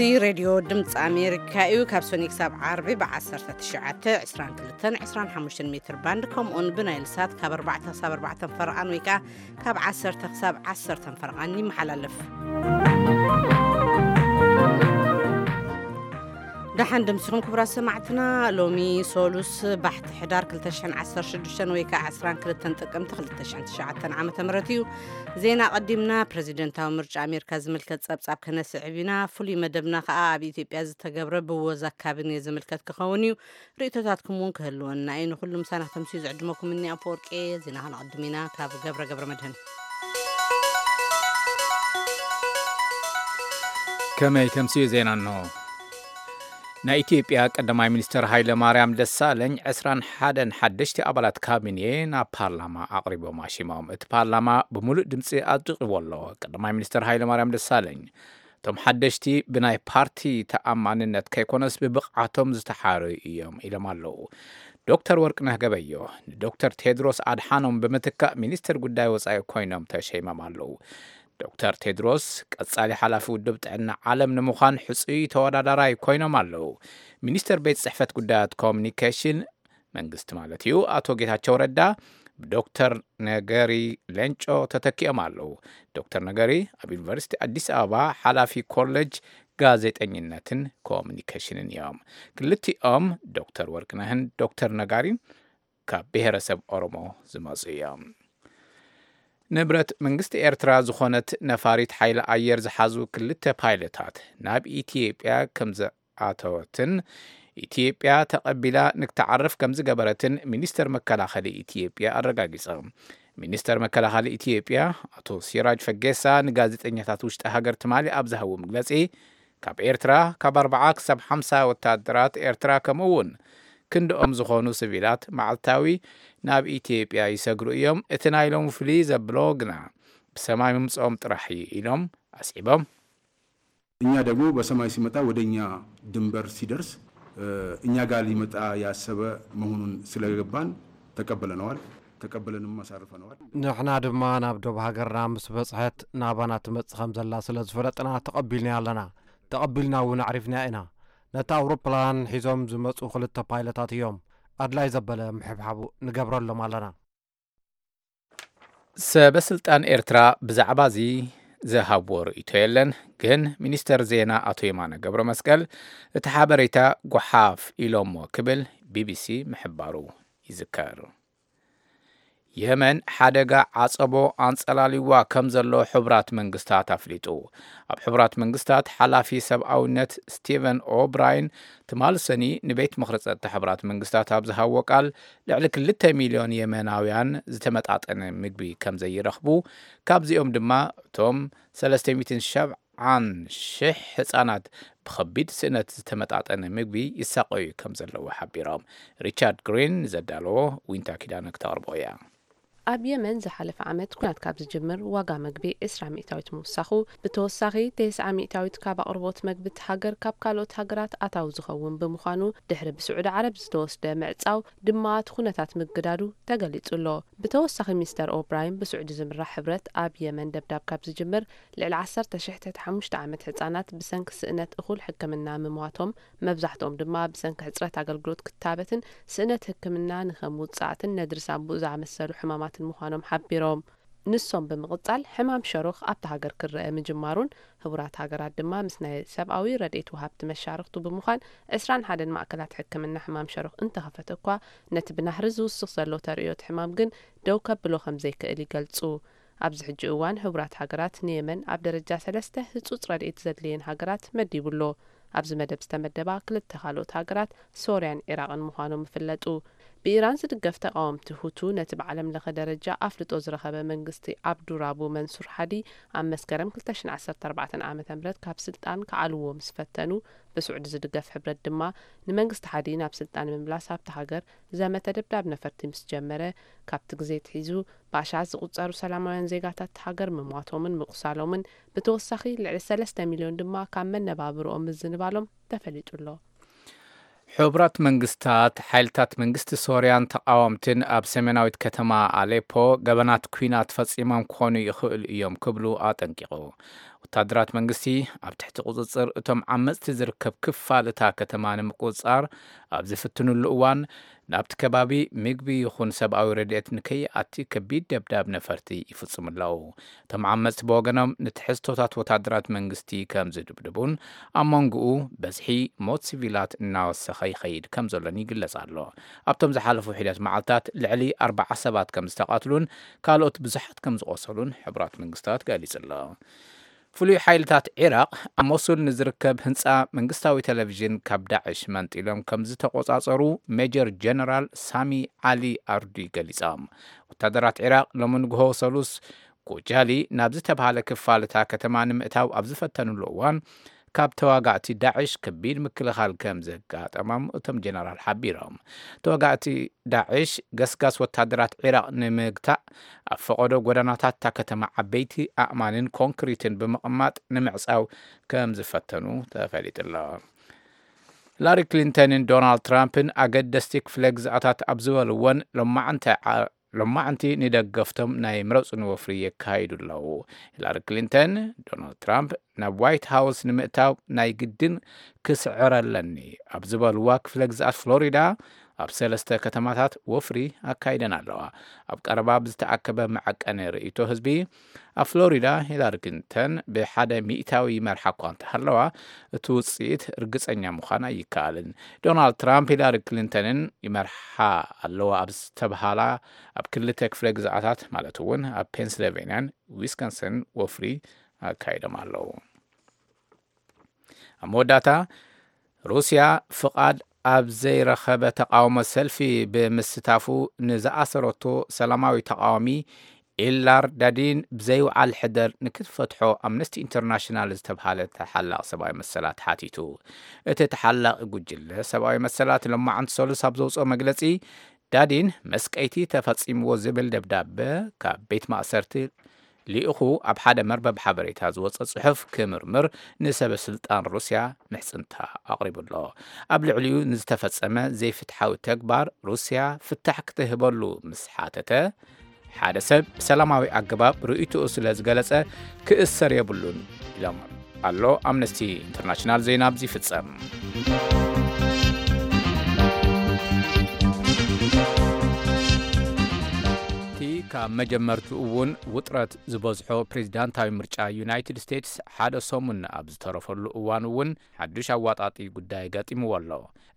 እዚ ሬድዮ ድምፂ ኣሜሪካ እዩ። ካብ ሰኒ ክሳብ ዓርቢ ብ1922 25 ሜትር ባንድ፣ ከምኡውን ብናይል ሳት ካብ ኣርባዕተ ክሳብ ኣርባዕተ ፈረቓን ወይ ከዓ ካብ ዓሰርተ ክሳብ ዓሰርተ ፈረቓን ይመሓላለፍ። ደሓን ደምሲኹም ክቡራት ሰማዕትና። ሎሚ ሶሉስ ባሕቲ ሕዳር ክልተ ሽሕን ዓሰርተ ሽዱሽተን ወይ ከዓ ዕስራን ክልተን ጥቅምቲ ክልተ ሽሕን ትሽዓተን ዓመተ ምህረት እዩ። ዜና ቀዲምና ፕሬዚደንታዊ ምርጫ ኣሜሪካ ዝምልከት ጸብጻብ ከነስዕብ ኢና። ፍሉይ መደብና ከዓ ኣብ ኢትዮጵያ ዝተገብረ ብወዛ ካቢኔ ዝምልከት ክኸውን እዩ። ርእይቶታትኩም እውን ክህልወና እዩ። ንኹሉ ምሳና ክተምስዩ ዝዕድመኩም እኒ ኣፈወርቂ። ዜና ከነቐድም ኢና ካብ ገብረ ገብረ መድህን። ከመይ ተምስዩ ዜና እንሆ። ናይ ኢትዮጵያ ቀዳማይ ሚኒስትር ሃይለ ማርያም ደሳለኝ ዕስራን ሓደን ሓደሽቲ ኣባላት ካቢኔ ናብ ፓርላማ ኣቕሪቦም ኣሽሞም። እቲ ፓርላማ ብምሉእ ድምፂ ኣጽዲቕዎ ኣሎ። ቀዳማይ ሚኒስትር ሃይለ ማርያም ደሳለኝ፣ እቶም ሓደሽቲ ብናይ ፓርቲ ተኣማንነት ከይኮነስ ብብቕዓቶም ዝተሓረዩ እዮም ኢሎም ኣለዉ። ዶክተር ወርቅነህ ገበዮ ንዶክተር ቴድሮስ ኣድሓኖም ብምትካእ ሚኒስትር ጉዳይ ወጻኢ ኮይኖም ተሸይሞም ኣለዉ። ዶክተር ቴድሮስ ቀጻሊ ሓላፊ ውድብ ጥዕና ዓለም ንምዃን ሕጹይ ተወዳዳራይ ኮይኖም ኣለዉ። ሚኒስትር ቤት ጽሕፈት ጉዳያት ኮሚኒኬሽን መንግስቲ ማለት እዩ፣ ኣቶ ጌታቸው ረዳ ብዶክተር ነገሪ ሌንጮ ተተኪኦም ኣለዉ። ዶክተር ነገሪ ኣብ ዩኒቨርሲቲ ኣዲስ ኣበባ ሓላፊ ኮሌጅ ጋዜጠኝነትን ኮሚኒኬሽንን እዮም። ክልቲኦም ዶክተር ወርቅነህን ዶክተር ነጋሪን ካብ ብሔረሰብ ኦሮሞ ዝመጹ እዮም። ንብረት መንግስቲ ኤርትራ ዝኾነት ነፋሪት ሓይሊ ኣየር ዝሓዙ ክልተ ፓይለታት ናብ ኢትዮጵያ ከም ዝኣተወትን ኢትዮጵያ ተቐቢላ ንክትዓርፍ ከም ዝገበረትን ሚኒስተር መከላኸሊ ኢትዮጵያ ኣረጋጊጸ። ሚኒስተር መከላኸሊ ኢትዮጵያ ኣቶ ሲራጅ ፈጌሳ ንጋዜጠኛታት ውሽጢ ሃገር ትማሊ ኣብ ዝሃቦ መግለጺ፣ ካብ ኤርትራ ካብ ኣርባዓ ክሳብ ሓምሳ ወታደራት ኤርትራ ከምኡ እውን ክንድኦም ዝኾኑ ሲቪላት መዓልታዊ ናብ ኢትዮጵያ ይሰግሩ እዮም። እቲ ናይ ሎሚ ፍልይ ዘብሎ ግና ብሰማይ ምምፅኦም ጥራሕ እዩ ኢሎም ኣስዒቦም። እኛ ደግሞ በሰማይ ሲመጣ ወደ እኛ ድንበር ሲደርስ፣ እ፣ እኛ ጋር ሊመጣ ያሰበ መሆኑን ስለገባን ተቀበለነዋል። ተቀበለንም አሳርፈነዋል። ንሕና ድማ ናብ ዶብ ሃገርና ምስ በጽሐት ናባና ትመጽእ ከም ዘላ ስለ ዝፈለጥና ተቐቢልናያ ኣለና። ተቐቢልና እውን ኣዕሪፍናያ ኢና። ነታ ኣውሮፕላን ሒዞም ዝመጹ ክልተ ፓይለታት እዮም። ኣድላይ ዘበለ ምሕብሓቡ ንገብረሎም ኣለና። ሰበ ስልጣን ኤርትራ ብዛዕባ እዚ ዝሃብዎ ርእይቶ የለን፣ ግን ሚኒስተር ዜና ኣቶ የማነ ገብረ መስቀል እቲ ሓበሬታ ጓሓፍ ኢሎሞ ክብል ቢቢሲ ምሕባሩ ይዝከር። የመን ሓደጋ ዓጸቦ ኣንጸላልዋ ከም ዘሎ ሕቡራት መንግስታት ኣፍሊጡ። ኣብ ሕቡራት መንግስታት ሓላፊ ሰብኣውነት ስቲቨን ኦብራይን ትማል ሰኒ ንቤት ምኽሪ ጸጥታ ሕቡራት መንግስታት ኣብ ዝሃቦ ቃል፣ ልዕሊ ክልተ ሚልዮን የመናውያን ዝተመጣጠነ ምግቢ ከም ዘይረኽቡ፣ ካብዚኦም ድማ እቶም ሰለስተ ሚእትን ሸብዓን ሽሕ ህጻናት ብኸቢድ ስእነት ዝተመጣጠነ ምግቢ ይሳቐዩ ከም ዘለዉ ሓቢሮም። ሪቻርድ ግሪን ንዘዳለዎ ዊንታ ኪዳነ ክተቕርቦ እያ። ኣብ የመን ዝሓለፈ ዓመት ኲናት ካብ ዝጅምር ዋጋ መግቢ ዕስራ ሚእታዊት ምውሳኹ፣ ብተወሳኺ ተስዓ ሚእታዊት ካብ ኣቕርቦት መግቢ እቲ ሃገር ካብ ካልኦት ሃገራት ኣታዊ ዝኸውን ብምዃኑ፣ ድሕሪ ብስዑዲ ዓረብ ዝተወስደ ምዕጻው ድማ እቲ ኩነታት ምግዳዱ ተገሊጹ ኣሎ። ብተወሳኺ ሚስተር ኦብራይን ብስዑዲ ዝምራሕ ሕብረት ኣብ የመን ደብዳብ ካብ ዝጅምር ልዕሊ ዓሰርተ ሽሕ ትሕቲ ሓሙሽተ ዓመት ህጻናት ብሰንኪ ስእነት እኹል ሕክምና ምሟቶም፣ መብዛሕትኦም ድማ ብሰንኪ ሕጽረት ኣገልግሎት ክታበትን ስእነት ሕክምና ንኸም ውጻዕትን ነድሪ ሳንቡእ ዝኣመሰሉ ሕማማትን ምዃኖም ሓቢሮም። ንሶም ብምቕጻል ሕማም ሸሮኽ ኣብታ ሃገር ክረአ ምጅማሩን፣ ህቡራት ሃገራት ድማ ምስ ናይ ሰብኣዊ ረድኤት ወሃብቲ መሻርኽቱ ብምዃን ዕስራን ሓደን ማእከላት ሕክምና ሕማም ሸሮኽ እንተኸፈተ እኳ፣ ነቲ ብናህሪ ዝውስኽ ዘሎ ተርእዮት ሕማም ግን ደው ከብሎ ከም ዘይክእል ይገልጹ። ኣብዚ ሕጂ እዋን ህቡራት ሃገራት ንየመን ኣብ ደረጃ ሰለስተ ህጹጽ ረድኤት ዘድልየን ሃገራት መዲቡ ኣሎ። ኣብዚ መደብ ዝተመደባ ክልተ ካልኦት ሃገራት ሶርያን ዒራቕን ምዃኖም ይፍለጡ። ብኢራን ዝድገፍ ተቓወምቲ ሁቱ ነቲ ብዓለም ለኸ ደረጃ ኣፍልጦ ዝረኸበ መንግስቲ ኣብዱራቡ መንሱር ሓዲ ኣብ መስከረም ክልተ ሽሕን ዓሰርተ ኣርባዕተን ዓመተ ምህረት ካብ ስልጣን ክዓልዎ ምስ ፈተኑ፣ ብስዑዲ ዝድገፍ ሕብረት ድማ ንመንግስቲ ሓዲ ናብ ስልጣን ንምምላስ ኣብታ ሃገር ዘመተ ደብዳብ ነፈርቲ ምስ ጀመረ፣ ካብቲ ግዜ ኣትሒዙ ብኣሽሓት ዝቑጸሩ ሰላማውያን ዜጋታት እታ ሃገር ምሟቶምን ምቑሳሎምን፣ ብተወሳኺ ልዕሊ ሰለስተ ሚልዮን ድማ ካብ መነባብርኦም ምዝንባሎም ተፈሊጡ ኣሎ። ሕቡራት መንግስታት፣ ሓይልታት መንግስቲ ሶርያን ተቓወምትን ኣብ ሰሜናዊት ከተማ ኣሌፖ ገበናት ኲናት ፈጺሞም ክኾኑ ይኽእሉ እዮም ክብሉ ኣጠንቂቑ። ወታደራት መንግስቲ ኣብ ትሕቲ ቁጽጽር እቶም ዓመጽቲ ዝርከብ ክፋል እታ ከተማ ንምቁጽጻር ኣብ ዝፍትኑሉ እዋን፣ ናብቲ ከባቢ ምግቢ ይኹን ሰብኣዊ ረድኤት ንከይኣቲ ከቢድ ደብዳብ ነፈርቲ ይፍጽሙ ኣለዉ። እቶም ዓመጽቲ ብወገኖም ንትሕዝቶታት ወታደራት መንግስቲ ከም ዝድብድቡን ኣብ መንጎኡ በዝሒ ሞት ሲቪላት እናወሰኸ ይኸይድ ከም ዘሎን ይግለጽ ኣሎ። ኣብቶም ዝሓለፉ ሒደት መዓልታት ልዕሊ ኣርባዓ ሰባት ከም ዝተቓትሉን ካልኦት ብዙሓት ከም ዝቖሰሉን ሕቡራት መንግስታት ገሊጹ ኣሎ። ፍሉይ ሓይልታት ዒራቕ ኣብ ሞሱል ንዝርከብ ህንጻ መንግስታዊ ቴሌቪዥን ካብ ዳዕሽ መንጢሎም ከም ዝተቖጻጸሩ ሜጀር ጀነራል ሳሚ ዓሊ ኣርዲ ገሊጾም። ወታደራት ዒራቕ ሎሚ ንግሆ ሰሉስ ጎጃሊ ናብ ዝተባህለ ክፋል እታ ከተማ ንምእታው ኣብ ዝፈተኑሉ እዋን፣ ካብ ተዋጋእቲ ዳዕሽ ከቢድ ምክልኻል ከም ዘጋጠሞም እቶም ጀነራል ሓቢሮም። ተዋጋእቲ ዳዕሽ ገስጋስ ወታደራት ዒራቕ ንምግታእ ኣብ ፈቐዶ ጎደናታት እታ ከተማ ዓበይቲ ኣእማንን ኮንክሪትን ብምቕማጥ ንምዕጻው ከም ዝፈተኑ ተፈሊጡ ኣሎ። ሂላሪ ክሊንተንን ዶናልድ ትራምፕን ኣገደስቲ ክፍለ ግዝኣታት ኣብ ዝበልወን ሎማዕንቲ ዓ- ሎማዕንቲ ንደገፍቶም ናይ ምረጹኒ ወፍሪ የካይዱ ኣለዉ። ሂላሪ ክሊንተን፣ ዶናልድ ትራምፕ ናብ ዋይት ሃውስ ንምእታው ናይ ግድን ክስዕረለኒ ኣብ ዝበልዋ ክፍለ ግዝኣት ፍሎሪዳ ኣብ ሰለስተ ከተማታት ወፍሪ ኣካይደን ኣለዋ። ኣብ ቀረባ ብዝተኣከበ መዐቀኒ ርእይቶ ህዝቢ፣ ኣብ ፍሎሪዳ ሂላሪ ክሊንተን ብሓደ ሚእታዊ ይመርሓ እኳ እንተሃለዋ፣ እቲ ውጽኢት ርግጸኛ ምዃን ኣይከኣልን። ዶናልድ ትራምፕ ሂላሪ ክሊንተንን ይመርሓ ኣለዋ ኣብ ዝተብሃላ ኣብ ክልተ ክፍለ ግዝኣታት፣ ማለት እውን ኣብ ፔንስልቬንያን ዊስኮንሰን ወፍሪ ኣካይዶም ኣለዉ። ኣብ መወዳእታ፣ ሩስያ ፍቓድ ኣብ ዘይረኸበ ተቓውሞ ሰልፊ ብምስታፉ ንዝኣሰረቶ ሰላማዊ ተቓዋሚ ኢላር ዳዲን ብዘይውዓል ሕደር ንክትፈትሖ ኣምነስቲ ኢንተርናሽናል ዝተብሃለ ተሓላቕ ሰብኣዊ መሰላት ሓቲቱ። እቲ ተሓላቒ ጉጅለ ሰብኣዊ መሰላት ሎማዕንቲ ሰሉስ ኣብ ዘውፅኦ መግለፂ፣ ዳዲን መስቀይቲ ተፈፂምዎ ዝብል ደብዳበ ካብ ቤት ማእሰርቲ ልኢኹ ኣብ ሓደ መርበብ ሓበሬታ ዝወፀ ፅሑፍ ክምርምር ንሰበ ስልጣን ሩስያ ምሕፅንታ ኣቕሪቡ ኣሎ። ኣብ ልዕሊኡ ንዝተፈፀመ ዘይፍትሓዊ ተግባር ሩስያ ፍታሕ ክትህበሉ ምስ ሓተተ፣ ሓደ ሰብ ብሰላማዊ ኣገባብ ርእይቶኡ ስለ ዝገለጸ ክእሰር የብሉን ኢሎም ኣሎ። ኣምነስቲ ኢንተርናሽናል ዜና ኣብዚ ይፍጸም። እቲ ካብ መጀመርትኡ እውን ውጥረት ዝበዝሖ ፕሬዚዳንታዊ ምርጫ ዩናይትድ ስቴትስ ሓደ ሰሙን ኣብ ዝተረፈሉ እዋን እውን ሓዱሽ ኣዋጣጢ ጉዳይ ገጢምዎ ኣሎ።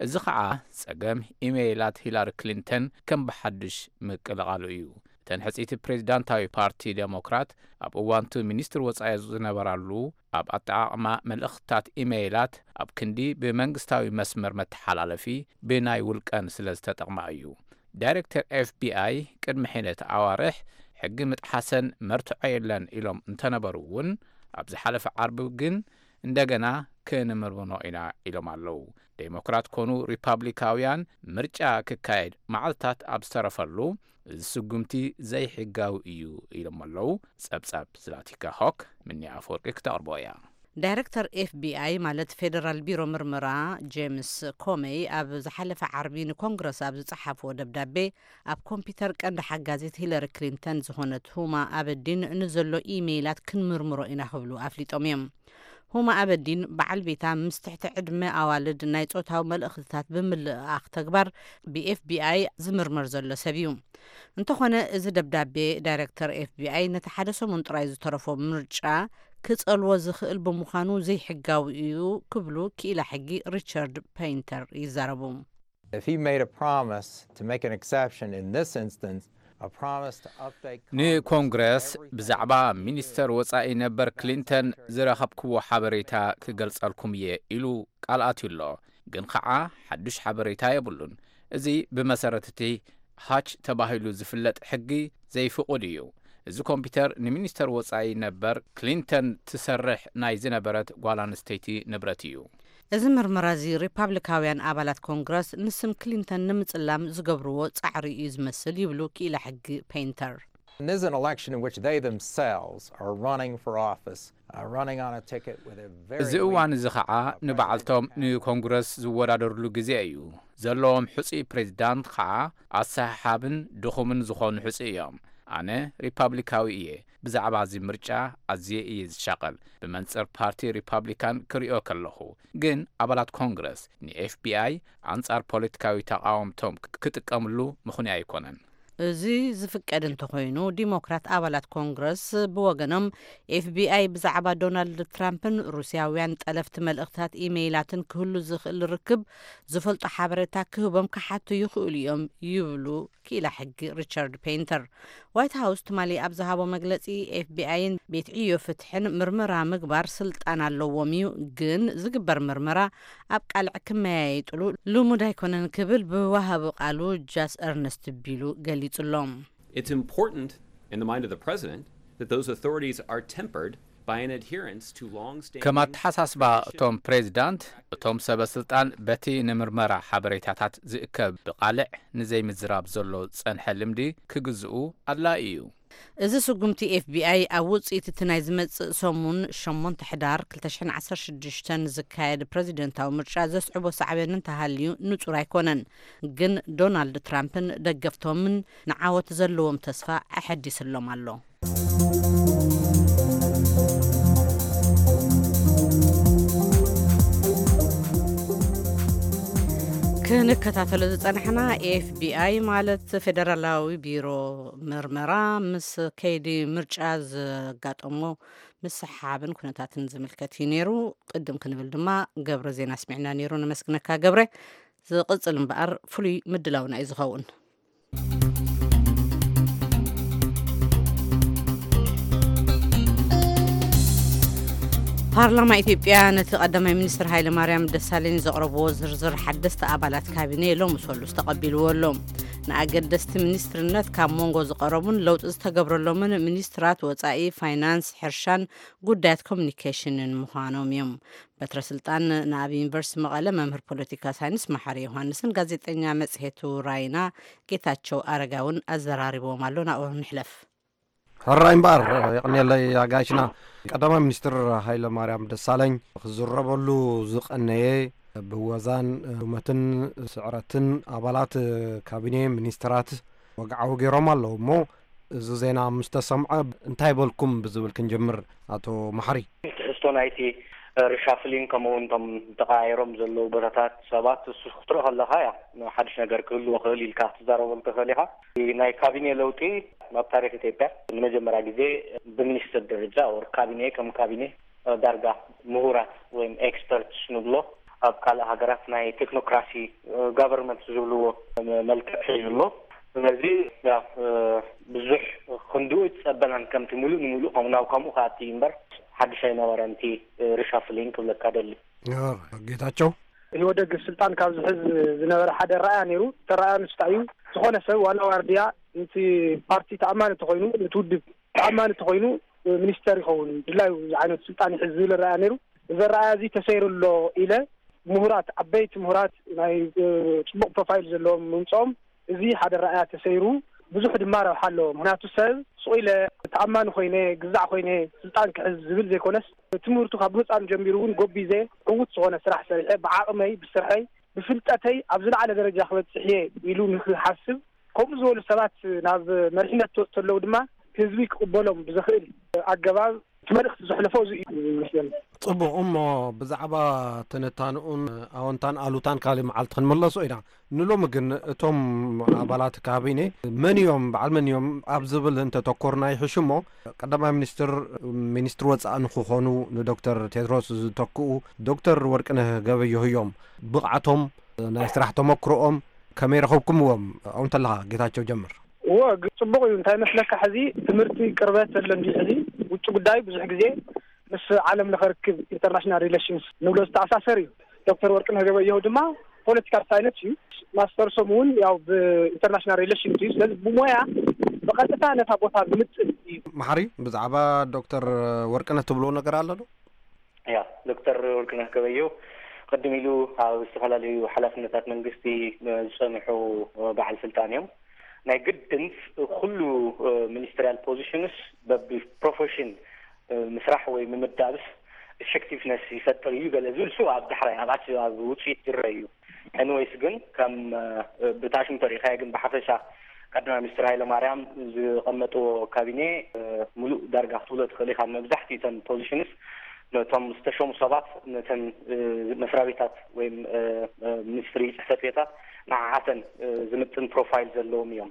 እዚ ኸዓ ጸገም ኢሜይላት ሂላሪ ክሊንተን ከም ብሓዱሽ ምቅልቓሉ እዩ። እተን ሕጽይቲ ፕሬዚዳንታዊ ፓርቲ ዴሞክራት ኣብ እዋንቱ ሚኒስትር ወጻኢ ዝነበራሉ ኣብ ኣጠቓቕማ መልእኽትታት ኢሜይላት ኣብ ክንዲ ብመንግስታዊ መስመር መተሓላለፊ ብናይ ውልቀን ስለ ዝተጠቕማ እዩ። ዳይሬክተር ኤፍ ቢ ኣይ ቅድሚ ሒደት ኣዋርሕ ሕጊ ምጥሓሰን መርትዖ የለን ኢሎም እንተነበሩ እውን፣ ኣብ ዝሓለፈ ዓርቢ ግን እንደገና ክንምርምኖ ኢና ኢሎም ኣለዉ። ዴሞክራት ኮኑ ሪፓብሊካውያን ምርጫ ክካየድ መዓልታት ኣብ ዝተረፈሉ፣ እዚ ስጉምቲ ዘይሕጋዊ እዩ ኢሎም ኣለዉ። ጸብጻብ ዝላቲካ ሆክ፣ ምኒ ኣፈወርቂ ክተቕርቦ እያ። ዳይሬክተር ኤፍ ቢ ኣይ ማለት ፌደራል ቢሮ ምርመራ ጄምስ ኮመይ ኣብ ዝሓለፈ ዓርቢ ንኮንግረስ ኣብ ዝጸሓፍዎ ደብዳቤ፣ ኣብ ኮምፒውተር ቀንዲ ሓጋዚት ሂለሪ ክሊንተን ዝኾነት ሁማ ኣበዲን ንዘሎ ኢሜይላት ክንምርምሮ ኢና ክብሉ ኣፍሊጦም እዮም። ሁማ ኣበዲን በዓል ቤታ ምስ ትሕቲ ዕድመ ኣዋልድ ናይ ጾታዊ መልእኽትታት ብምልእኣኽ ተግባር ብ ኤፍ ቢ ኣይ ዝምርመር ዘሎ ሰብ እዩ። እንተኾነ እዚ ደብዳቤ ዳይሬክተር ኤፍ ቢ ኣይ ነቲ ሓደ ሰሙን ጥራይ ዝተረፎ ምርጫ ክጸልዎ ዝኽእል ብምዃኑ ዘይሕጋዊ እዩ ክብሉ ክኢላ ሕጊ ሪቻርድ ፔይንተር ይዛረቡ። If he made a promise to make an exception in this instance, a promise to update Congress ንኮንግረስ everything ብዛዕባ he did ሚኒስተር ወጻኢ ነበር ክሊንተን ዝረኸብክዎ ሓበሬታ ክገልጸልኩም እየ ኢሉ ቃል ኣትዩ ኣሎ። ግን ኸዓ ሓዱሽ ሓበሬታ የብሉን። እዚ ብመሰረት እቲ ሃች ተባሂሉ ዝፍለጥ ሕጊ ዘይፍቑድ እዩ። እዚ ኮምፒውተር ንሚኒስተር ወጻኢ ነበር ክሊንተን ትሰርሕ ናይ ዝነበረት ጓል ኣንስተይቲ ንብረት እዩ። እዚ ምርመራ እዚ ሪፓብሊካውያን ኣባላት ኮንግረስ ንስም ክሊንተን ንምጽላም ዝገብርዎ ጻዕሪ እዩ ዝመስል ይብሉ ክኢላ ሕጊ ፔይንተር። And this is an election in which they themselves are running for office, uh, running on a ticket with a very እዚ እዋን እዚ ኸዓ ንባዕልቶም ንኮንግረስ ዝወዳደርሉ ግዜ እዩ። ዘለዎም ሕፁይ ፕሬዚዳንት ኸዓ ኣሰሓሓብን ድኹምን ዝኾኑ ሕፁይ እዮም። ኣነ ሪፓብሊካዊ እየ። ብዛዕባ እዚ ምርጫ ኣዝየ እየ ዝሻቐል። ብመንፅር ፓርቲ ሪፓብሊካን ክሪኦ ከለኹ ግን ኣባላት ኮንግረስ ንኤፍቢኣይ ኣንጻር ፖለቲካዊ ተቓወምቶም ክጥቀምሉ ምኽንያ ኣይኮነን። እዚ ዝፍቀድ እንተኾይኑ፣ ዲሞክራት ኣባላት ኮንግረስ ብወገኖም ኤፍቢኣይ ብዛዕባ ዶናልድ ትራምፕን ሩስያውያን ጠለፍቲ መልእኽትታት ኢሜይላትን ክህሉ ዝኽእል ርክብ ዝፈልጦ ሓበሬታ ክህቦም ክሓቱ ይኽእሉ እዮም ይብሉ ክኢላ ሕጊ ሪቻርድ ፔይንተር። ዋይት ሃውስ ትማሊ ኣብ ዝሃቦ መግለጺ፣ ኤፍቢኣይን ቤት ዕዮ ፍትሕን ምርመራ ምግባር ስልጣን ኣለዎም እዩ፣ ግን ዝግበር ምርመራ ኣብ ቃልዕ ክመያየጥሉ ልሙድ ኣይኮነን ክብል ብወሃቢ ቃሉ ጃስ ኤርነስት ቢሉ ገሊጹ ኣሎ። It's important in the mind of the president that those authorities are tempered by an adherence to long-standing ከም ኣተሓሳስባ እቶም ፕሬዚዳንት፣ እቶም ሰበ ስልጣን በቲ ንምርመራ ሓበሬታታት ዝእከብ ብቓልዕ ንዘይምዝራብ ዘሎ ዝጸንሐ ልምዲ ክግዝኡ ኣድላዪ እዩ። እዚ ስጉምቲ ኤፍቢኣይ ኣብ ውፅኢት እቲ ናይ ዝመፅእ ሰሙን ሸሞንተ ሕዳር ክልተ ሽሕን ዓሰርተ ሽዱሽተን ዝካየድ ፕረዚደንታዊ ምርጫ ዘስዕቦ ሳዕቤን እንተሃልዩ ንፁር ኣይኮነን። ግን ዶናልድ ትራምፕን ደገፍቶምን ንዓወት ዘለዎም ተስፋ ኣሐዲስሎም ኣሎ። ክንከታተሎ ዝጸናሕና ኤፍቢኣይ ማለት ፌደራላዊ ቢሮ ምርመራ ምስ ከይዲ ምርጫ ዘጋጠሞ ምስሓብን ኩነታትን ዝምልከት እዩ ነይሩ። ቅድም ክንብል ድማ ገብረ ዜና ኣስሚዕና ነይሩ። ነመስግነካ ገብረ። ዝቕጽል እምበኣር ፍሉይ ምድላውና እዩ ዝኸውን። ፓርላማ ኢትዮጵያ ነቲ ቀዳማይ ሚኒስትር ሃይለማርያም ደሳለኝ ዘቕረብዎ ዝርዝር ሓደስቲ ኣባላት ካቢነ ሎሚ ሰሉስ ተቐቢልዎ ኣሎ። ንኣገደስቲ ሚኒስትርነት ካብ መንጎ ዝቐረቡን ለውጢ ዝተገብረሎምን ሚኒስትራት ወጻኢ፣ ፋይናንስ፣ ሕርሻን ጉዳያት ኮሚኒኬሽንን ምዃኖም እዮም። በትረ ስልጣን ንኣብ ዩኒቨርሲቲ መቐለ መምህር ፖለቲካ ሳይንስ መሓሪ ዮሃንስን ጋዜጠኛ መጽሔቱ ራይና ጌታቸው ኣረጋውን ኣዘራሪብዎም ኣሎ። ናብኡ ንሕለፍ። ሕራይ እምበኣር የቕንየለይ ኣጋይሽና። ቀዳማይ ሚኒስትር ሃይለ ማርያም ደሳለኝ ክዝረበሉ ዝቐነየ ብወዛን ሉመትን ስዕረትን ኣባላት ካቢኔ ሚኒስትራት ወግዓዊ ገይሮም ኣለዉ እሞ፣ እዚ ዜና ምስ ተሰምዐ እንታይ በልኩም ብዝብል ክንጀምር፣ ኣቶ መሓሪ። ትሕዝቶ ናይቲ ሪሻፍሊንግ ከምኡ እውን እቶም ተቀያይሮም ዘለዉ ቦታታት ሰባት እሱ ክትርኢ ከለካ እያ ሓድሽ ነገር ክህልዎ ክእል ኢልካ ክትዛረበሉ ትኽእል ኢኻ። ናይ ካቢኔ ለውጢ ኣብ ታሪክ ኢትዮጵያ ንመጀመርያ ግዜ ብሚኒስትር ደረጃ ወር ካቢኔ ከም ካቢኔ ዳርጋ ምሁራት ወይም ኤክስፐርትስ ንብሎ ኣብ ካልእ ሃገራት ናይ ቴክኖክራሲ ጋቨርንመንት ዝብልዎ መልክዕ ሒዙ ኣሎ። ስለዚ ያው ብዙሕ ክንድኡ ኣይተጸበናን፣ ከምቲ ሙሉእ ንሙሉእ ከም ናብ ከምኡ ክኣቲ እዩ እምበር ሓድሽ ኣይነበረን እቲ ሪሻፍሊንግ ክብለካ ደሊ። ጌታቸው። ኢህወደግ ስልጣን ካብ ዝሕዝ ዝነበረ ሓደ ኣረኣእያ ነይሩ። እቲ ኣረኣእያ ንሱ እንታይ እዩ? ዝኾነ ሰብ ዋና ዋርድያ ነቲ ፓርቲ ተኣማኒ ተኾይኑ፣ ነቲ ውድብ ተኣማኒ ተኾይኑ ሚኒስተር ይኸውን፣ ድላዩ ዝዓይነቱ ስልጣን ይሕዝ ዝብል ኣረኣእያ ነይሩ። እዚ ኣረኣእያ እዚ ተሰይሩ ኣሎ ኢለ ምሁራት፣ ዓበይቲ ምሁራት ናይ ጽቡቕ ፕሮፋይል ዘለዎም ምምፅኦም፣ እዚ ሓደ ኣረኣእያ ተሰይሩ ብዙሕ ድማ ረብሓ ኣለዎ። ምክንያቱ ሰብ ሱቕ ኢለ ተኣማኒ ኮይነ ግዛዕ ኮይነ ስልጣን ክሕዝ ዝብል ዘይኮነስ ትምህርቱ ካብ ህፃን ጀሚሩ እውን ጎቢዘ ዕዉት ዝኾነ ስራሕ ሰሪሐ ብዓቕመይ ብስርሐይ ብፍልጠተይ ኣብ ዝለዓለ ደረጃ ክበፅሕ እየ ኢሉ ንክሓስብ ከምኡ ዝበሉ ሰባት ናብ መሪሕነት ክወፁ ተለዉ ድማ ህዝቢ ክቕበሎም ብዘኽእል ኣገባብ እቲ መልእኽቲ ዘሕለፎ እዚ እዩ ይመስለኒ። ጽቡቕ እሞ ብዛዕባ ትንታንኡን ኣወንታን ኣሉታን ካልእ መዓልቲ ክንምለሶ ኢና። ንሎሚ ግን እቶም ኣባላት ካቢኔ መን እዮም በዓል መን እዮም ኣብ ዝብል እንተተኮርና ይሕሽ እሞ ቀዳማይ ሚኒስትር ሚኒስትሪ ወጻኢ ንክኾኑ ንዶክተር ቴድሮስ ዝተክኡ ዶክተር ወርቅነህ ገበየሁ እዮም። ብቕዓቶም ናይ ስራሕ ተመክሮኦም ከመይ ረኸብኩምዎም? ኣብኡ እንተለኻ ጌታቸው ጀምር። እወ ጽቡቕ እዩ። እንታይ መስለካ ሕዚ ትምህርቲ ቅርበት ዘሎ እንዲ ሕዚ ውጭ ጉዳይ ብዙሕ ግዜ ምስ ዓለም ለኸ ርክብ ኢንተርናሽናል ሪሌሽንስ ንብሎ ዝተኣሳሰር እዩ። ዶክተር ወርቅነህ ገበየሁ ድማ ፖለቲካል ሳይንስ እዩ። ማስተርሶም እውን ያው ብኢንተርናሽናል ሪሌሽንስ እዩ። ስለዚ ብሞያ ብቐጥታ ነታ ቦታ ዝምጥን እዩ። መሓሪ ብዛዕባ ዶክተር ወርቅነህ ትብልዎ ነገር ኣሎ ዶ? ያ ዶክተር ወርቅነህ ገበየሁ ቅድም ኢሉ ኣብ ዝተፈላለዩ ሓላፍነታት መንግስቲ ዝፀንሑ በዓል ስልጣን እዮም። ናይ ግድን ኩሉ ሚኒስትሪያል ፖዚሽንስ በቢ ፕሮፌሽን ምስራሕ ወይ ምምዳብስ ኢፌክቲቭነስ ይፈጥር እዩ ገለ ዝብል ሱ ኣብ ዳሕራይ ኣብ ኣት ኣብ ውፅኢት ዝረአ እዩ። ኤንወይስ ግን ከም ብታሽም ተሪኢኻዮ ግን ብሓፈሻ ቀዳማይ ሚኒስትር ሃይለ ማርያም ዝቐመጥዎ ካቢኔ ሙሉእ ዳርጋ ክትብሎ ትኽእል ኢኻ። መብዛሕትኡ እተን ፖዚሽንስ ነቶም ዝተሸሙ ሰባት ነተን መስሪያ ቤታት ወይም ሚኒስትሪ ፅሕፈት ቤታት ንዓዓተን ዝምጥን ፕሮፋይል ዘለዎም እዮም።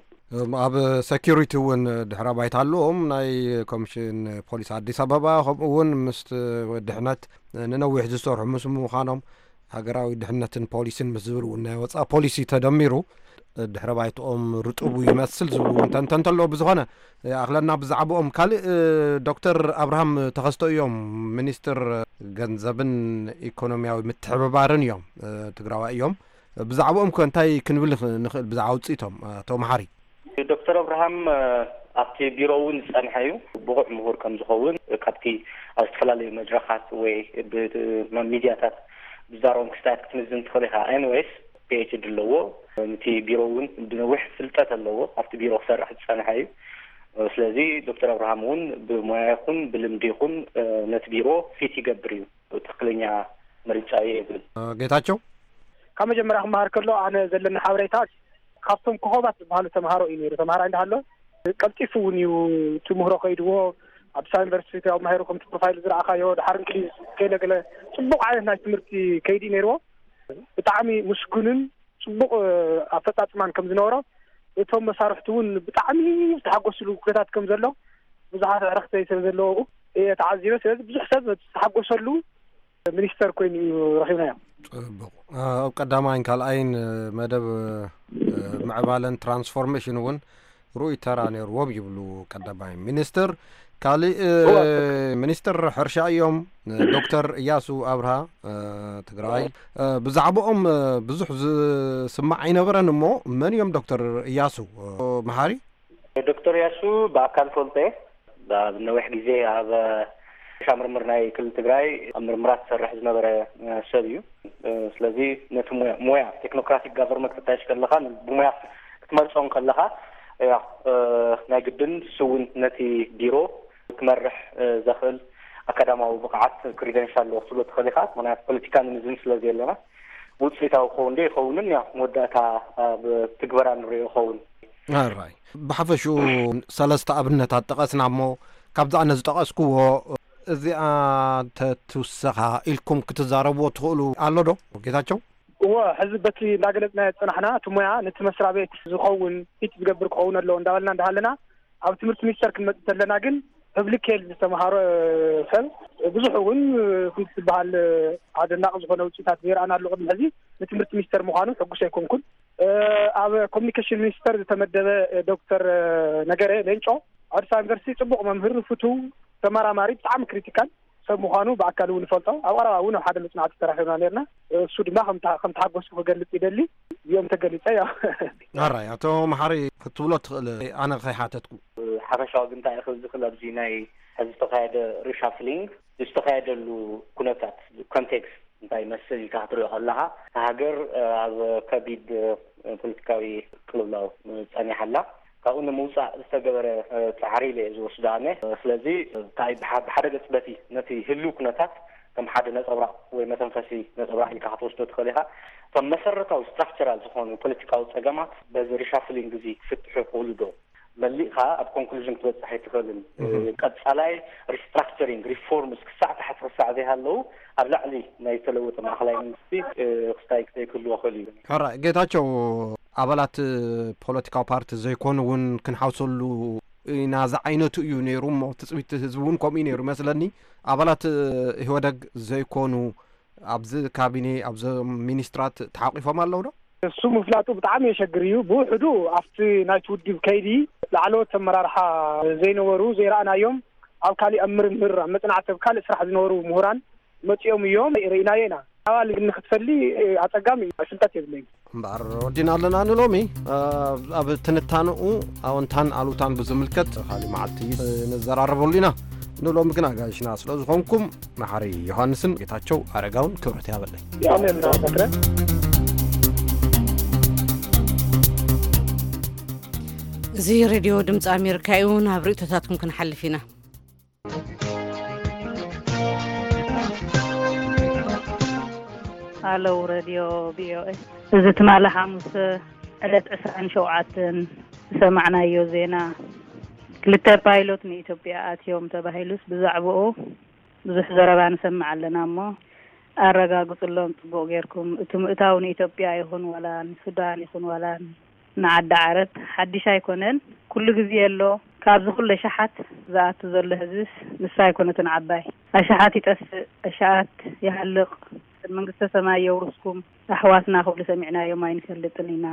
ኣብ ሰኪሪቲ እውን ድሕረ ባይታ ኣለዎም። ናይ ኮሚሽን ፖሊስ ኣዲስ ኣበባ ከምኡ እውን ምስ ድሕነት ንነዊሕ ዝሰርሑ ምስ ምዃኖም ሃገራዊ ድሕነትን ፖሊስን ምስ ዝብል እውን ናይ ወፃኢ ፖሊሲ ተደሚሩ ድሕረ ባይትኦም ርጡቡ ይመስል ዝብሉ እውን ተንተንተ ኣለዎ። ብዝኾነ ኣኽለና ብዛዕባኦም ካልእ ዶክተር ኣብርሃም ተኸስቶ እዮም፣ ሚኒስትር ገንዘብን ኢኮኖሚያዊ ምትሕብባርን እዮም፣ ትግራዋይ እዮም። ብዛዕባኦም ከ እንታይ ክንብል ንኽእል ብዛዕባ ውፅኢቶም ኣቶ መሓሪ? ዶክተር ኣብርሃም ኣብቲ ቢሮ እውን ዝፀንሐ እዩ። ብቑዕ ምሁር ከም ዝኸውን ካብቲ ኣብ ዝተፈላለዩ መድረኻት ወይ ብሚድያታት ዝዛረቦም ክስታያት ክትምዝን ትኽእል ኢኻ። ኤንወይስ ፒኤችዲ ኣለዎ። ነቲ ቢሮ እውን ብነዊሕ ፍልጠት ኣለዎ። ኣብቲ ቢሮ ክሰርሕ ዝፀንሐ እዩ። ስለዚ ዶክተር ኣብርሃም እውን ብሞያ ይኹን ብልምዲ ይኹን ነቲ ቢሮ ፊት ይገብር እዩ። ትኽክለኛ ምርጫ እዩ እብል። ጌታቸው? ካብ መጀመርያ ክመሃር ከሎ ኣነ ዘለኒ ሓበሬታ ካብቶም ኮኾባት ዝበሃሉ ተምሃሮ እዩ ነይሩ። ተምሃራይ እንዳሃሎ ቀልጢፉ እውን እዩ ትምህሮ ከይድዎ። ኣዲስ ኣበባ ዩኒቨርሲቲ ኣብ ማሄሩ ከምቲ ፕሮፋይል ዝረኣኻዮ ድሓር እንግሊዝ ገለ ገለ ፅቡቕ ዓይነት ናይ ትምህርቲ ከይዲ ነይርዎ። ብጣዕሚ ምስጉንን ፅቡቕ ኣፈፃፅማን ከም ዝነበሮ እቶም መሳርሕቲ እውን ብጣዕሚ ዝተሓጎስሉ ኩነታት ከም ዘሎ ብዙሓት ኣዕርኽተይ ስለ ዘለዉ እየ ተዓዚበ። ስለዚ ብዙሕ ሰብ ዝተሓጎሰሉ ሚኒስተር ኮይኑ እዩ ረኺብናዮ። ፅቡቕ። ኣብ ቀዳማይን ካልኣይን መደብ ምዕባለን ትራንስፎርሜሽን እውን ርኡይ ተራ ነይርዎም ይብሉ ቀዳማይ ሚኒስትር። ካሊእ ሚኒስትር ሕርሻ እዮም ዶክተር እያሱ ኣብርሃ ትግራይ። ብዛዕባኦም ብዙሕ ዝስማዕ ኣይነበረን እሞ መን እዮም ዶክተር እያሱ መሓሪ? ዶክተር እያሱ ብኣካል ፈልጦ እየ። ኣብ ነዊሕ ግዜ ኣብ ሕርሻ ምርምር ናይ ክልል ትግራይ ኣብ ምርምራት ዝሰርሕ ዝነበረ ሰብ እዩ። ስለዚ ነቲ ሞያ ቴክኖክራቲክ ጋቨርንመንት ክታየሽ ከለኻ ብሞያ ክትመርፆ ከለኻ ያ ናይ ግድን ስውን ነቲ ቢሮ ክመርሕ ዘኽእል ኣካዳማዊ ብቕዓት ክሪደንሻል ኣለዎ ክትብሎ ትኽእል ኢኻ። ምክንያቱ ፖለቲካ ንምዝን ስለ ዘለና ውፅኢታዊ ክኸውን ዶ ይኸውንን ያ መወዳእታ ኣብ ትግበራ ንሪኦ ይኸውን። ኣራይ ብሓፈሽኡ ሰለስተ ኣብነታት ጠቐስና እሞ ካብዛ ኣነ ዝጠቐስክዎ እዚኣ ተትውሰኻ ኢልኩም ክትዛረብዎ ትኽእሉ ኣሎ ዶ ጌታቸው? እወ፣ ሕዚ በቲ እንዳገለጽናዮ ዝጸናሕና፣ እቲ ሞያ ነቲ መስሪያ ቤት ዝኸውን ፊት ዝገብር ክኸውን ኣለዎ እንዳበልና እንዳሃለና፣ ኣብ ትምህርቲ ሚኒስተር ክንመጽእ ተለና ግን ፐብሊክ ሄልዝ ዝተምሃረ ሰብ ብዙሕ እውን ከምቲ ዝበሃል ኣደናቂ ዝኾነ ውጽኢታት ዘይረኣናሉ ቅድሚ ሕዚ ንትምህርቲ ሚኒስተር ምዃኑ ሕጉስ ኣይኮንኩን። ኣብ ኮሚኒኬሽን ሚኒስተር ዝተመደበ ዶክተር ነገረ ሌንጮ ኣብ ኣዲስ ኣበባ ዩኒቨርሲቲ ጽቡቕ መምህር፣ ፍቱው ተመራማሪ፣ ብጣዕሚ ክሪቲካል ሰብ ምዃኑ ብኣካል እውን ይፈልጦ። ኣብ ቀረባ እውን ኣብ ሓደ መጽናዕቲ ተራኺብና ነርና። እሱ ድማ ከም ተሓጎስኩ ክገልጽ ይደሊ። እዚኦም ተገሊጸ እዮ። ኣራይ ኣቶ መሓሪ ክትብሎ ትኽእል ኣነ ከይሓተትኩ። ሓፈሻዊ ግን እንታይ ክብል ዝኽእል ኣብዚ ናይ ሕዚ ዝተኻየደ ሪሻፍሊንግ ዝተኻየደሉ ኩነታት ኮንቴክስት እንታይ ይመስል ኢልካ ክትሪኦ ከለኻ እታ ሃገር ኣብ ከቢድ ፖለቲካዊ ቅልውላው ጸኒሓ ኣላ። ካብኡ ንምውፃእ ዝተገበረ ፃዕሪ ኢለ እየ ዝወስዶ ኣነ። ስለዚ እንታይ ብሓ- ብሓደ ገፅ በቲ ነቲ ህልው ኩነታት ከም ሓደ ነፀብራቕ ወይ መተንፈሲ ነፀብራቕ ኢልካ ክትወስዶ ትኽእል ኢኻ። እቶም መሰረታዊ ስትራክቸራል ዝኾኑ ፖለቲካዊ ፀገማት በዚ ሪሻፍሊንግ እዚ ክፍትሑ ይኽእሉ ዶ? መሊእኻ ኣብ ኮንክሉዥን ክትበፅሕ ኣይትኽእልን። ቀፃላይ ሪስትራክቸሪንግ ሪፎርምስ ክሳዕ ታሕቲ ክሳዕ ዘይሃለዉ ኣብ ላዕሊ ናይ ዝተለወጠ ማእኸላይ መንግስቲ ክስታይ ዘይክህልዎ ክእል እዩ። ሕራይ ጌታቸው፣ ኣባላት ፖለቲካዊ ፓርቲ ዘይኮኑ እውን ክንሓውሰሉ ኢና ዝዓይነቱ እዩ ነይሩ እሞ ትፅቢት ህዝቢ እውን ከምኡ እዩ ነይሩ መስለኒ። ኣባላት ኢህወደግ ዘይኮኑ ኣብዚ ካቢኔ ኣብዞም ሚኒስትራት ተሓቂፎም ኣለዉ ዶ? እሱ ምፍላጡ ብጣዕሚ የሸግር እዩ። ብውሕዱ ኣብቲ ናይቲ ውድብ ከይዲ ላዕለዎት ኣመራርሓ ዘይነበሩ ዘይረኣናዮም ኣብ ካሊእ ኣብ ምርምር ኣብ መፅናዕቲ ኣብ ካልእ ስራሕ ዝነበሩ ምሁራን መፂኦም እዮም ርኢናዮ ኢና። ኣባል ግን ንክትፈሊ ኣፀጋሚ እዩ። ፍልጠት የብለይን። እምበኣር ወዲና ኣለና ንሎሚ። ኣብ ትንታንኡ ኣወንታን ኣሉታን ብዝምልከት ካሊእ መዓልቲ ንዘራረበሉ ኢና። ንሎሚ ግን ኣጋይሽና ስለ ዝኾንኩም መሓሪ ዮሃንስን ጌታቸው ኣረጋውን ክብረት ያበለይ። ኣሜን። እዚ ሬድዮ ድምፂ ኣሜሪካ እዩ። ናብ ርእቶታትኩም ክንሓልፍ ኢና። ሃለው ሬድዮ ቪኦኤ፣ እዚ ትማሊ ሓሙስ ዕለት ዕስራን ሸውዓተን ዝሰማዕናዮ ዜና፣ ክልተ ፓይሎት ንኢትዮጵያ ኣትዮም ተባሂሉስ ብዛዕባኡ ብዙሕ ዘረባ ንሰምዕ ኣለና እሞ፣ ኣረጋግፅሎም ፅቡቕ ጌርኩም። እቲ ምእታው ንኢትዮጵያ ይኹን ዋላ ንሱዳን ይኹን ዋላ ንዓዲ ዓረብ ሓድሽ ኣይኮነን፣ ኩሉ ግዜ ኣሎ። ካብዚ ኩሉ ኣሽሓት ዝኣቱ ዘሎ ህዝብስ ንሳ ኣይኮነትን ዓባይ። ኣሽሓት ይጠፍእ፣ ኣሽሓት ይሃልቕ። መንግስተ ሰማይ የውርስኩም። ኣሕዋትና ክብሉ ሰሚዕናዮም ኣይንፈልጥን ኢና።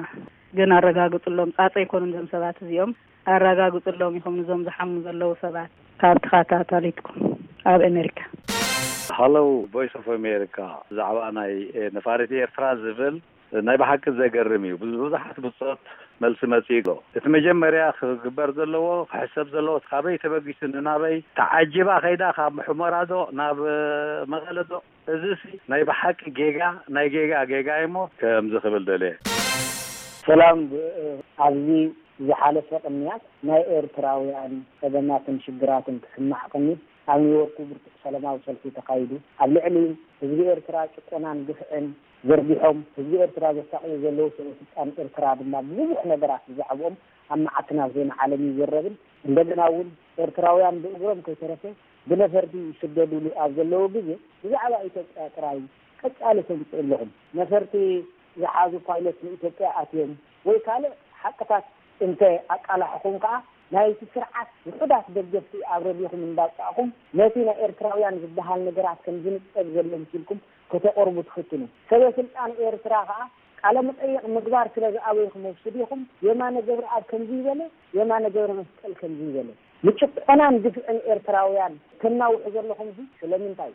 ግን ኣረጋግፅሎም፣ ፃፀ ኣይኮኑን እዞም ሰባት እዚኦም። ኣረጋግፅሎም ኢኹም ንዞም ዝሓሙ ዘለዉ ሰባት ካብ ተኸታታሊትኩም ኣብ ኣሜሪካ። ሃለው ቮይስ ኦፍ ኣሜሪካ፣ ብዛዕባ ናይ፣ እ፣ ነፋሪት ኤርትራ ዝብል ናይ ብሓቂ ዘገርም እዩ። ብዙ-፣ ብዙሓት ብጾት መልሲ መጺኡ ኣሎ። እቲ መጀመርያ ክግበር ዘለዎ፣ ክሕሰብ ዘለዎ፣ እቲ ካበይ ተበጊሱ ንናበይ ተዓጂባ ከይዳ፣ ካብ ሑመራ ዶ ናብ፣ እ፣ መቐለ ዶ? እዚሲ ናይ ብሓቂ ጌጋ፣ ናይ ጌጋ ጌጋ እዩሞ ከምዚ ክብል ደልየ። ሰላም፣ ብ-፣ ኣብዚ ዝሓለፈ ቅንያት ናይ ኤርትራውያን ጸገማትን ሽግራትን ክስማዕ ቅኒት ኣብ ኒውዮርክ ብርቱዕ ሰላማዊ ሰልፊ ተኻይዱ። ኣብ ልዕሊ ህዝቢ ኤርትራ ጭቆናን ግፍዕን ዘርጊሖም፣ ህዝቢ ኤርትራ ዘሳቕዩ ዘለዉ ሰበ ስልጣን ኤርትራ ድማ ብዙሕ ነገራት ብዛዕብኦም ኣብ መዓት ናብ ዜና ዓለም ይዝረብን፣ እንደገና እውን ኤርትራውያን ብእግሮም ከይተረፈ ብነፈርቲ ይስደዱሉ ኣብ ዘለዉ ግዜ ብዛዕባ ኢትዮጵያ ጥራይ ቀጻሊ ተምጽኡ ኣለኹም። ነፈርቲ ዝሓዙ ፓይለት ንኢትዮጵያ ኣትዮም ወይ ካልእ ሓቅታት እንተ ኣቃላሕኹም ከኣ ናይቲ ስርዓት ውሑዳት ደገፍቲ ኣብ ረድኹም እንዳውጻእኹም ነቲ ናይ ኤርትራውያን ዝበሃል ነገራት ከም ዝንጸግ ዘሎ መሲልኩም ከተቐርቡ ትፍትኑ። ሰበ ስልጣን ኤርትራ ከኣ ቃለ መጠይቕ ምግባር ስለ ዝኣበይኩም እሱ ዲኹም የማነ ገብረኣብ ከምዚ ይበለ፣ የማነ ገብረ መስቀል ከምዚ ይበለ። ንጭቆናን ግፍዕን ኤርትራውያን ተናውሑ ዘለኹም እዚ ስለምንታይ?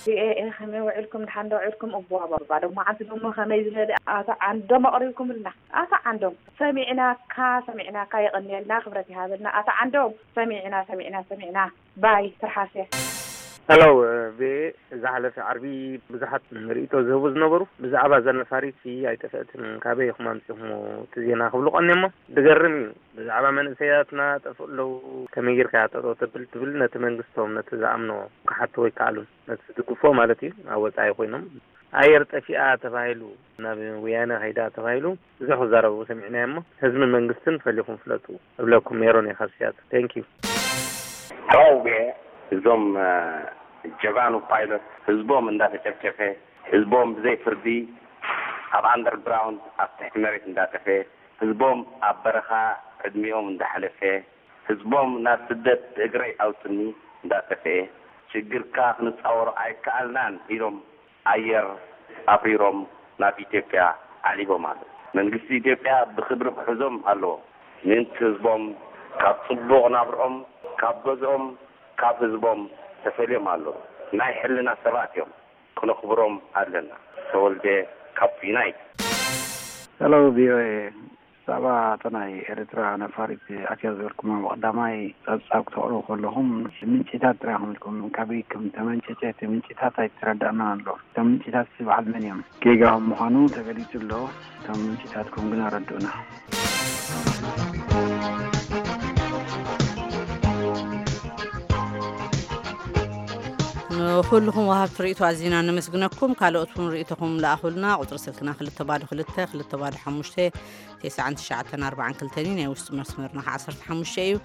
ቪኦኤ ከመይ ውዒልኩም? ድሓን ዶ ውዒልኩም? እዋባባ ዶ መዓልቲ ደሞ ከመይ ዝበለ ኣቶ ዓንዶም ኣቕሪብኩምልና? ኣቶ ዓንዶም ሰሚዕናካ፣ ሰሚዕናካ፣ የቐንየልና፣ ክብረት ይሃበልና። ኣቶ ዓንዶም ሰሚዕና፣ ሰሚዕና፣ ሰሚዕና። ባይ ትርሓስያ። ሄሎ፣ ቪኦኤ፣ ዝሓለፈ ዓርቢ ብዙሓት ርእይቶ ዝህቡ ዝነበሩ ብዛዕባ እዛ ነፋሪት ኣይጠፍአትን፣ ካበይ ኢኹም ኣምጺኹም እቲ ዜና ክብሉ ቀንዮሞ። ዝገርም እዩ። ብዛዕባ መንእሰያትና ጠፍኡ ኣለዉ፣ ከመይ ጌርካ እያ ጠጠው ተብል ትብል፣ ነቲ መንግስቶም፣ ነቲ ዝኣምኖ ክሓቱ ኣይከኣሉን። ነቲ ዝድግፎ ማለት እዩ፣ ኣብ ወጻኢ ኮይኖም። ኣየር ጠፊኣ ተባሂሉ፣ ናብ ወያነ ከይዳ ተባሂሉ ብዙሕ ክዛረቡ ሰሚዕናዮ እሞ፣ ህዝብን መንግስትን ፈሊኹም ፍለጡ እብለኩም። ሜሮን እየ ካብ ሲያትል። Thank you። ሕዋውየ፣ እዞም፣ እ፣ ጀጋኑ ፓይሎት ህዝቦም እንዳተጨፍጨፈ፣ ህዝቦም ብዘይ ፍርዲ ኣብ ኣንደርግራውንድ፣ ኣብ ትሕቲ መሬት እንዳጠፈ፣ ህዝቦም ኣብ በረኻ ዕድሚኦም እንዳሓለፈ፣ ህዝቦም ናብ ስደት ብእግረይ ኣውፅኒ እንዳጠፍኤ፣ ሽግርካ ክንፃወሮ ኣይከኣልናን ኢሎም ኣየር ኣብሪሮም ናብ ኢትዮጵያ ዓሊቦም ኣለዉ። መንግስቲ ኢትዮጵያ ብክብሪ ክሕዞም ኣለዎ። ምእንቲ ህዝቦም ካብ ፅቡቕ ናብርኦም፣ ካብ ገዝኦም፣ ካብ ህዝቦም ተፈልዮም ኣለዉ። ናይ ሕልና ሰባት እዮም። ክነኽብሮም ኣለና። ተወልደ ካብ ዩናይት። ሄሎ ቪኦኤ፣ ብዛዕባ እታ ናይ ኤርትራ ነፋሪት ኣትያ ዝበልኩማ ብቐዳማይ ጸብጻብ ክተቕርቡ ከለኹም ምንጭታት ጥራይ ኢኹም ኢልኩም። ካበይ ከም ተመንጨጨ እቲ ምንጭታት ኣይተረዳእናን ኣሎ። እቶም ምንጭታት በዓል መን እዮም? ጌጋኹም ምዃኑ ተገሊጹ ኣሎ። እቶም ምንጭታትኩም ግን ኣረድኡና። ንኹልኹም ወሃብቲ ርእይቶ ኣዚና ነመስግነኩም። ካልኦት እውን ርእይቶኹም ለኣኹልና። ቁጽሪ ስልክና ክልተ ባዶ ክልተ፣ ክልተ ባዶ ሓሙሽተ፣ ተስዓን ትሽዓተን ኣርባዓን ክልተን እዩ። ናይ ውሽጢ መስመርና ከዓ ዓሰርተ ሓሙሽተ እዩ።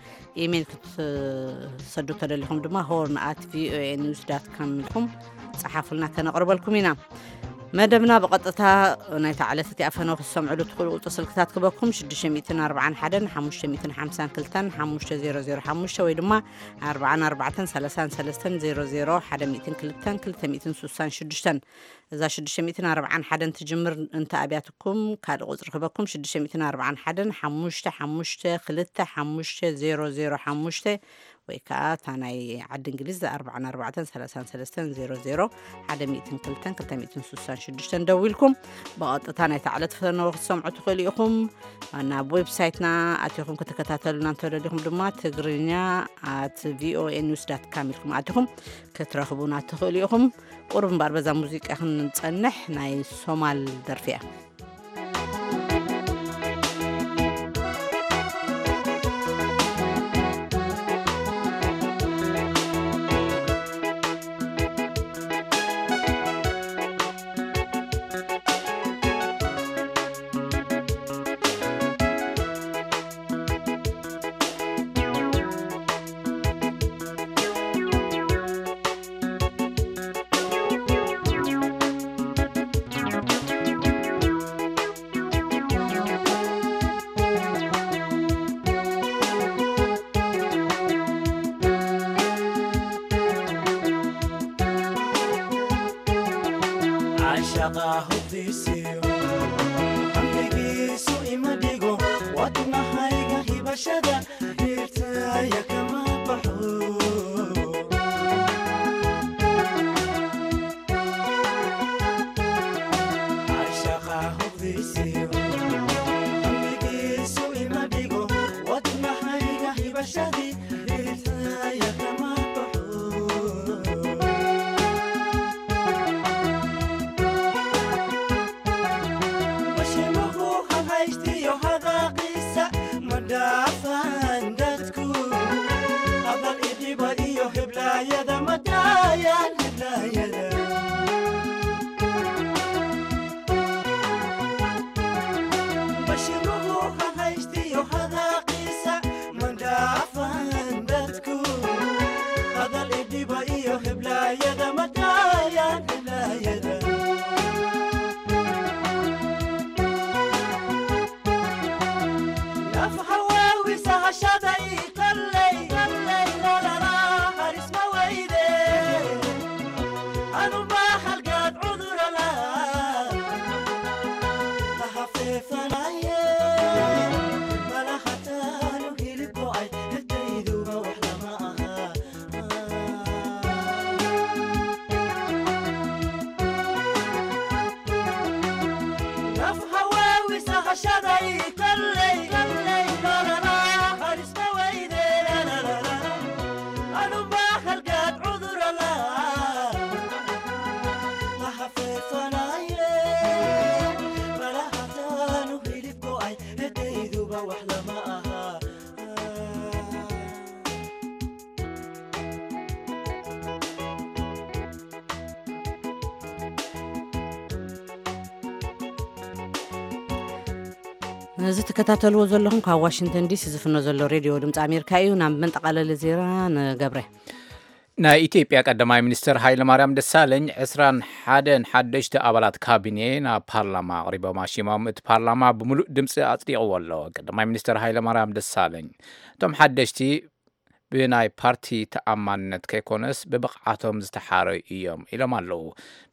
ኢሜይል ክትሰዱ ተደሊኹም ድማ ሆርን ኣት ቪኦኤ ኒውስ ዳት ካም ኢልኩም ጸሓፉልና፣ ከነቕርበልኩም ኢና። መደብና ብቐጥታ ናይታ ዕለት እቲኣ ፈነው ክትሰምዕሉ ትኽእሉ ቁጽሪ ስልክታት ክበኩም፣ ሽዱሽተ ሚእትን ኣርባዓን ሓደን ሓሙሽተ ሚእትን ሓምሳን ክልተን ሓሙሽተ ዜሮ ዜሮ ሓሙሽተ ወይ ድማ ኣርባዓን ኣርባዕተን ሰላሳን ሰለስተን ዜሮ ዜሮ ሓደ ሚእትን ክልተን ክልተ ሚእትን ሱሳን ሽዱሽተን። እዛ ሽዱሽተ ሚእትን ኣርባዓን ሓደን ትጅምር እንተ ኣብያትኩም ካልእ ቁጽሪ ክበኩም፣ ሽዱሽተ ሚእትን ኣርባዓን ሓደን ሓሙሽተ ሓሙሽተ ክልተ ሓሙሽተ ዜሮ ዜሮ ሓሙሽተ ወይ ከኣ እታ ናይ ዓዲ እንግሊዝ ኣርባዓን ኣርባዕተን ሰላሳን ሰለስተን ዜሮ ዜሮ ሓደ ሚእትን ክልተን ክልተ ሚእትን ሱሳን ሽዱሽተን ደዊልኩም ብቐጥታ ናይታ ዕለት ፈነወ ክትሰምዑ ትኽእሉ ኢኹም። ናብ ዌብሳይትና ኣቲኹም ክትከታተሉና እንተደሊኹም ድማ ትግርኛ ኣት ቪኦኤ ኒውስ ዳት ካም ኢልኩም ኣቲኹም ክትረኽቡና ትኽእሉ ኢኹም። ቁሩብ እምበኣር በዛ ሙዚቃ ክንጸንሕ፣ ናይ ሶማል ደርፊ እያ። Shaqa hubdisiyo, hambigisu imadigo, watuna haiga hibashada, hirtaya kama pahu. Shaqa hubdisiyo, hambigisu imadigo, watuna haiga hibashadi, hirtaya kama pahu. Bashimuhu hahaystiyo hadaqiisa madafandadku. Abal idiba iyo heblayada madayan heblayada. Bashimuhu hahaystiyo hadaqiisa madafandadku. Abal idiba iyo heblayada madayan heblayada. Naf hawawi sahashada ikallay, kallay, la, la, la, haris mawayde. Anu ma halgat udurala. Lahafefanaye. Malahatanu hilibko ay, hetaydu ma wahlama aha. እዚ ትከታተልዎ ዘለኹም ካብ ዋሽንግተን ዲሲ ዝፍኖ ዘሎ ሬድዮ ድምፂ ኣሜሪካ እዩ። ናብ መንጠቓለሊ ዜና ንገብረ። ናይ ኢትዮጵያ ቀዳማይ ሚኒስትር ሃይለማርያም ደሳለኝ ዕስራን ሓደን ሓደሽቲ ኣባላት ካቢኔ ናብ ፓርላማ ኣቕሪቦም ኣሽሞም። እቲ ፓርላማ ብምሉእ ድምፂ ኣፅዲቕዎ ኣሎ። ቀዳማይ ሚኒስትር ሃይለማርያም ደሳለኝ እቶም ሓደሽቲ ብናይ ፓርቲ ተኣማንነት ከይኮነስ ብብቕዓቶም ዝተሓረዩ እዮም ኢሎም ኣለዉ።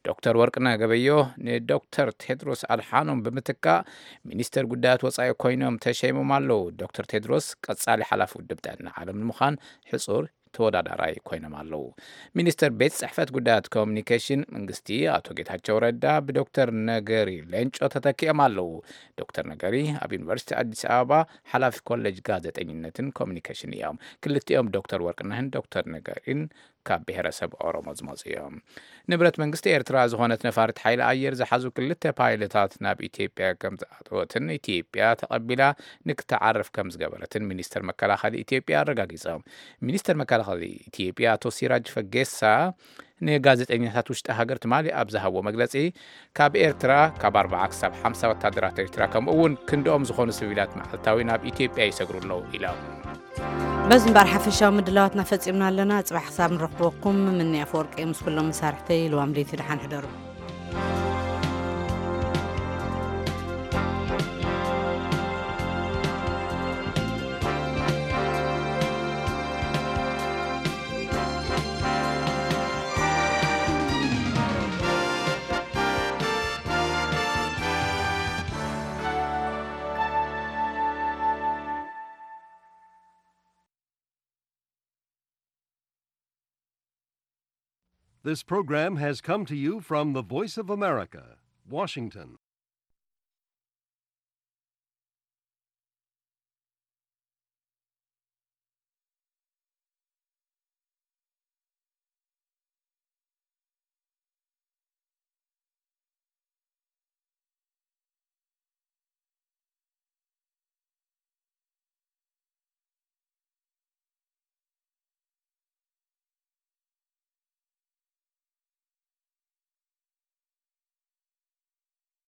ዶክተር ወርቅነህ ገበዮ ንዶክተር ቴድሮስ ኣድሓኖም ብምትካእ ሚኒስተር ጉዳያት ወጻኢ ኮይኖም ተሸይሞም ኣለዉ። ዶክተር ቴድሮስ ቀጻሊ ሓላፊ ውድብ ጥዕና ዓለም ንምዃን ሕጹር ተወዳዳራይ ኮይኖም ኣለዉ። ሚኒስተር ቤት ጽሕፈት ጉዳያት ኮሚኒኬሽን መንግስቲ ኣቶ ጌታቸው ረዳ ብዶክተር ነገሪ ሌንጮ ተተኪኦም ኣለዉ። ዶክተር ነገሪ ኣብ ዩኒቨርሲቲ ኣዲስ ኣበባ ሓላፊ ኮሌጅ ጋዜጠኝነትን ኮሚኒኬሽን እዮም። ክልቲኦም ዶክተር ወርቅነህን ዶክተር ነገሪን ካብ ብሔረሰብ ኦሮሞ ዝመጹ እዮም። ንብረት መንግስቲ ኤርትራ ዝኾነት ነፋሪት ሓይሊ ኣየር ዝሓዙ ክልተ ፓይለታት ናብ ኢትዮጵያ ከም ዝኣተወትን ኢትዮጵያ ተቐቢላ ንክትዓርፍ ከም ዝገበረትን ሚኒስተር መከላኸሊ ኢትዮጵያ ኣረጋጊጾም። ሚኒስተር መከላኸሊ ኢትዮጵያ ኣቶ ሲራጅ ፈጌሳ ንጋዜጠኛታት ውሽጢ ሃገር ትማሊ ኣብ ዝሃብዎ መግለጺ፣ ካብ ኤርትራ ካብ ኣርብዓ ክሳብ ሓምሳ ወታደራት ኤርትራ ከምኡ እውን ክንድኦም ዝኾኑ ሲቪላት መዓልታዊ ናብ ኢትዮጵያ ይሰግሩ ኣለዉ ኢሎም። በዚ እምበኣር ሓፈሻዊ ምድላዋትና ፈጺምና ኣለና። ጽባሕ ክሳብ ንረኽበኩም ምኒ ኣፈወርቂ ምስ ኩሎም መሳርሕተይ ልዋም ለይቲ ደሓን ሕደሩ። This program has come to you from the Voice of America, Washington.